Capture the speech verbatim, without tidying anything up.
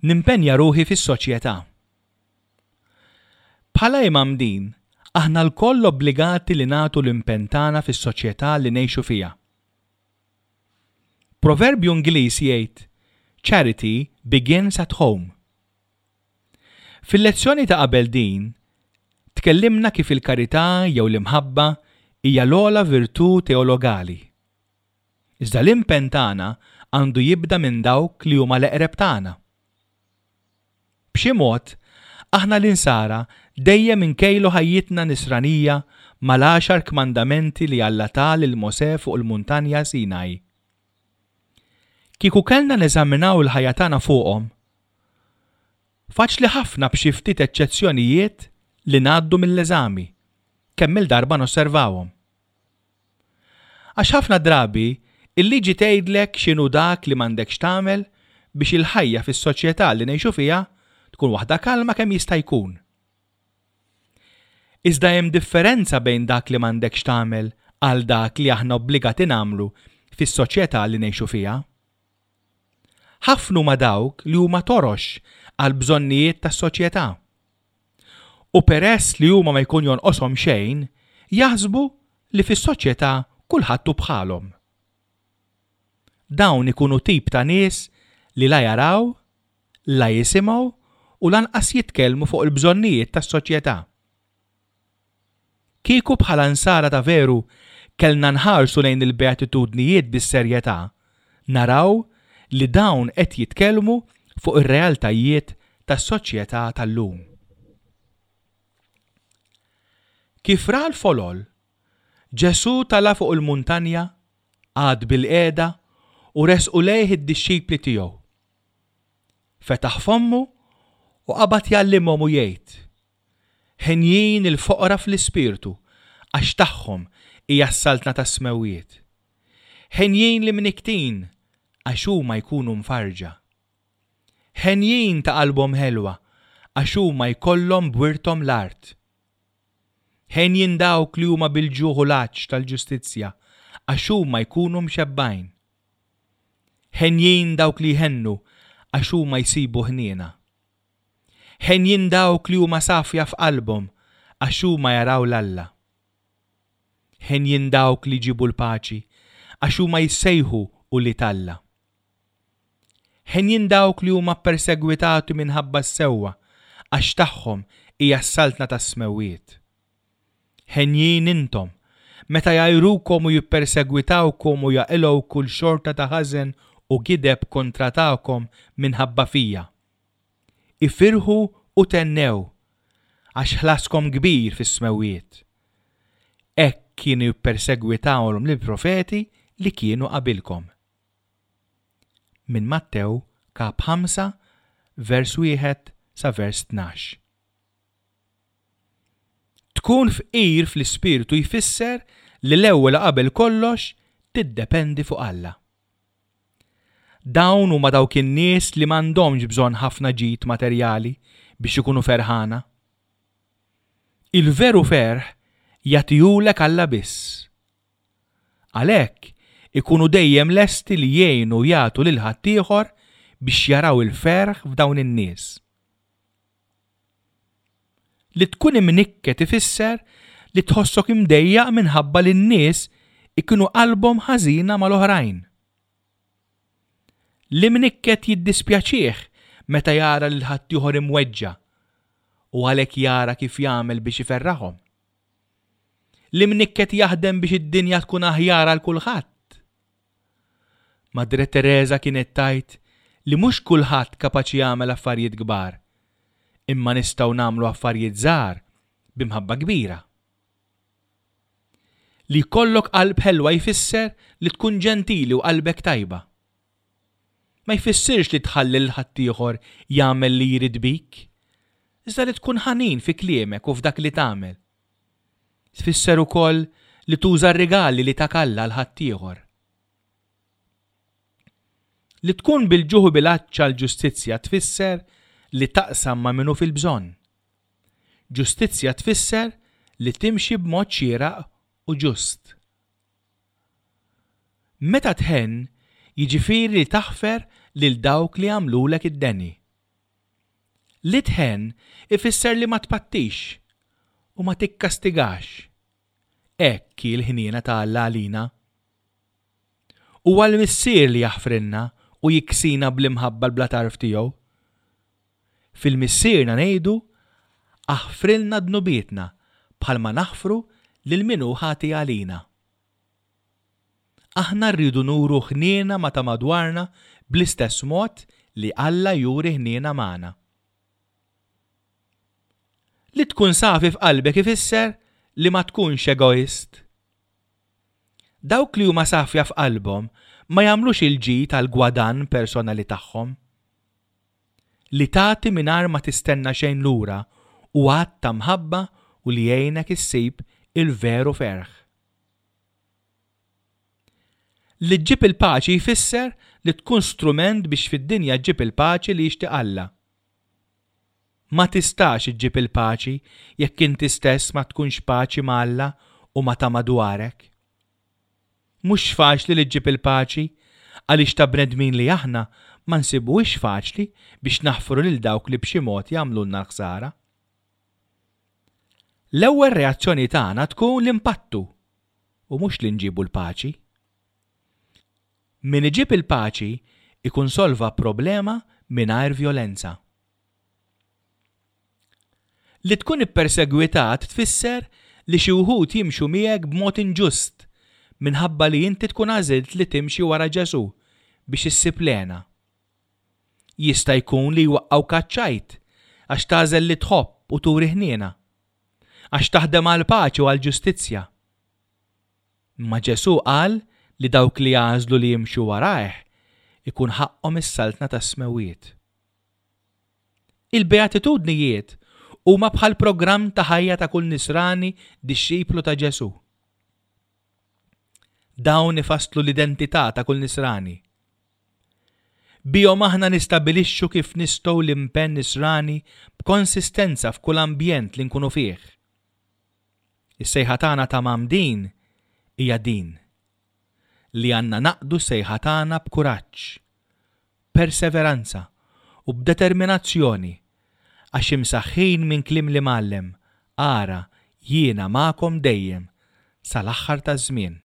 Nimpenja ruħi fis-soċjetà. Bħala imgħammdin, aħna lkoll obbligati li nagħtu l-impenn tagħna fis-soċjetà li ngħixu fiha. Proverbju Ingliż jgħid, "Charity begins at home." Fil-lezzjoni ta' qabel din, tkellimna kif il-karità jew l-imħabba hija l-ogħla virtù teologali. Iżda l-impenn tagħna għandu jibda minn dawk li huma l-eqreb tagħna. B'xi mod, aħna l-insara dejjem inkejlu ħajjitna nisranija mal-għaxar kmandamenti li Alla ta lil Mosè fuq il-muntanja Sinaj. Kieku kellna neżaminaw il-ħajja tagħna fuqhom, faċli ħafna b'xi ftit eċċezzjonijiet li ngħaddu mill-eżami, kemm-il darba nosservawhom. Għax ħafna drabi il-liġi tgħidlek x'inhu dak li m'għandekx tagħmel biex il-ħajja fis-soċjetà li ngħixu fiha tkun waħda kalma kemm jista' jkun. Iżda hemm differenza bejn dak li m'għandekx tagħmel għal dak li aħna obbligati nagħmlu fis-soċjetà li ngħixu fiha. Ħafna huma dawk li huma torox għal bżonnijiet tas-soċjetà. U peress li huma ma jkun jonqoshom xejn, jaħsbu li fis-soċjetà kulħadd hu bħalhom. Dawn ikunu tip ta' nies li la jaraw, la jisimgħu u lanqas jitkellmu fuq il-bżonnijiet tas-soċjetà. Kieku bħala nsara ta' veru kellna nħarsu lejn il-beatitudnijiet bis-serjetà, naraw li dawn qed jitkellmu fuq ir-realtajiet tas-soċjetà tal-lum. Kif ra l-folol, Ġesù tala' fuq il-muntanja, qagħad bilqiegħda u resqu lejh id-dixxipli tiegħu. Fetaħ fommu u qabad jgħallimhom u jgħid, Henjin il-foqra fl-ispirtu, għax tagħhom hija s-saltna tas-smewwiet. Henjin l-imnikktin, għax huma jkunu mfarrġa. Henjin ta' qalbhom ħelwa, għax huma jkollhom b'wirthom l-art. Henjin dawk li huma bil-ġuħ u l-għatx tal-ġustizzja, għax huma jkunu mxebbgħin. Henjin dawk li jħennu, għax huma jsibu ħniena. Henjin dawk li huma safja f'qalbhom, għax huma jaraw 'l Alla. Henjin dawk li jġibu l-paċi, għax huma jissejħu ulied Alla. Henjin dawk li huma ppersegwitati minħabba s-sewwa, għax tagħhom hija s-saltna tas-smewwiet. Henjin intom, meta jgħajrukom u jippersegwitawkom u jaqilgħu kull xorta ta' ħażen u gideb kontra tagħkom minħabba fija. Ifirħu u thennew, għax ħlaskom kbir fis-smewwiet. Hekk kienu jippersegwitawhom lill-profeti li kienu qabilkom. Minn Mattew kap ħamsa vers wieħed sa vers tnax. Tkun fqir fl-ispirtu jfisser li l-ewwel u qabel kollox tiddependi fuq Alla. Dawn huma dawk in-nies li m'għandhomx bżonn ħafna ġid materjali biex ikunu ferħana. Il-veru ferħ jagħtihulek Alla biss. Għalhekk ikunu dejjem lesti li jgħinu u jagħtu lil ħaddieħor biex jaraw il-ferħ f'dawn in-nies. Li tkun imnikket ifisser li tħossok imdejjaq minħabba li n-nies ikunu qalbhom ħażina mal-oħrajn. L-imnikket jiddispjaċih meta jara lil ħaddieħor imweġġa' u għalhekk jara kif jagħmel biex iferraħhom. L-imnikket jaħdem biex id-dinja tkun aħjar għal kulħadd. Madre Teresa kienet tgħid li mhux kulħadd kapaċi jagħmel affarijiet kbar, imma nistgħu nagħmlu affarijiet żgħar b'imħabba kbira. Li jkollok qalb ħelwa jfisser li tkun ġentili u qalbek tajba. Ma jfissirx li tħalli lil ħaddieħor jagħmel li jrid bik, iżda li tkun ħanin fi kliemek u f'dak li tagħmel. Tfisser ukoll li tuża r-rigali li tak Alla għal ħaddieħor. Li tkun bil-ġuħ u bil-għatx għall-ġustizzja tfisser li taqsam ma' min hu fil-bżonn. Ġustizzja tfisser li timxi b'mod xieraq u ġust. Meta tħenn, jiġifieri li taħfer lil dawk li għamlulek id-deni. Li tħenn ifisser li ma tpattix u ma tikkastigax. Hekk hi l-ħniena ta' Alla għalina. Huwa l-Missier li jaħfrilna u jiksina bl-imħabba bla tarf tiegħu. Fil-Missierna ngħidu aħfrilna dnubietna bħalma naħfru lil min hu ħati għalina. Aħna rridu nuru ħniena ma' ta' madwarna bl-istess mod li Alla juri ħniena magħna. Li tkun safi f'qalbek ifisser li ma tkunx egoist. Dawk li huma safja f'qalbhom ma jagħmlux il-ġid għal gwadann personali tagħhom. Li tagħti mingħajr ma tistenna xejn lura hu att ta' mħabba u li jgħinek issib il-veru ferħ. Li ġġib il-paċi jfisser li tkun strument biex fid-dinja ġġib il-paċi li jixtieq Alla. Ma tistax iġġib il-paċi jekk inti stess ma tkunx paċi ma' Alla u ma' ta' madwarek. Mhux faċli li ġġib il-paċi għaliex ta' bnedmin li aħna ma nsibuhiex faċli biex naħfru lil dawk li b'xi mod jagħmlulna l-ħsara. L-ewwel reazzjoni tagħna tkun li npattu u mhux li nġibu l-paċi. Min iġib il-paċi ikun solva problema mingħajr vjolenza. Li tkun ippersegwitat tfisser li xi wħud jimxu miegħek b'mod inġust minħabba li inti tkun għażilt li timxi wara Ġesù biex issib l-hena. Jista' jkun li jwaqqgħuk għaċ-ċajt għax tagħżel li tħobb u turi ħniena, għax taħdem għall-paċi u għall-ġustizzja. Imma Ġesù qal li dawk li jagħżlu li jimxu warajh ikun ħaqqhom is-saltna tas-smewwiet. Il-beatitudnijiet huma bħal programm ta' ħajja ta' kull nisrani dixxiplu ta' Ġesù. Dawn ifasslu l-identità ta' kull nisrani. Bihom aħna nistabilixxu kif nistgħu l-impenn nisrani b'konsistenza f'kull ambjent li nkunu fih. Is-sejħa tagħna ta' mgħammdin hija din, li għandna naqdu s-sejħa tagħna b'kuraġġ, perseveranza u b'determinazzjoni għax imsaħħin minn kliem l-Imgħallem, ara jiena magħkom dejjem sal-aħħar taż-żmien.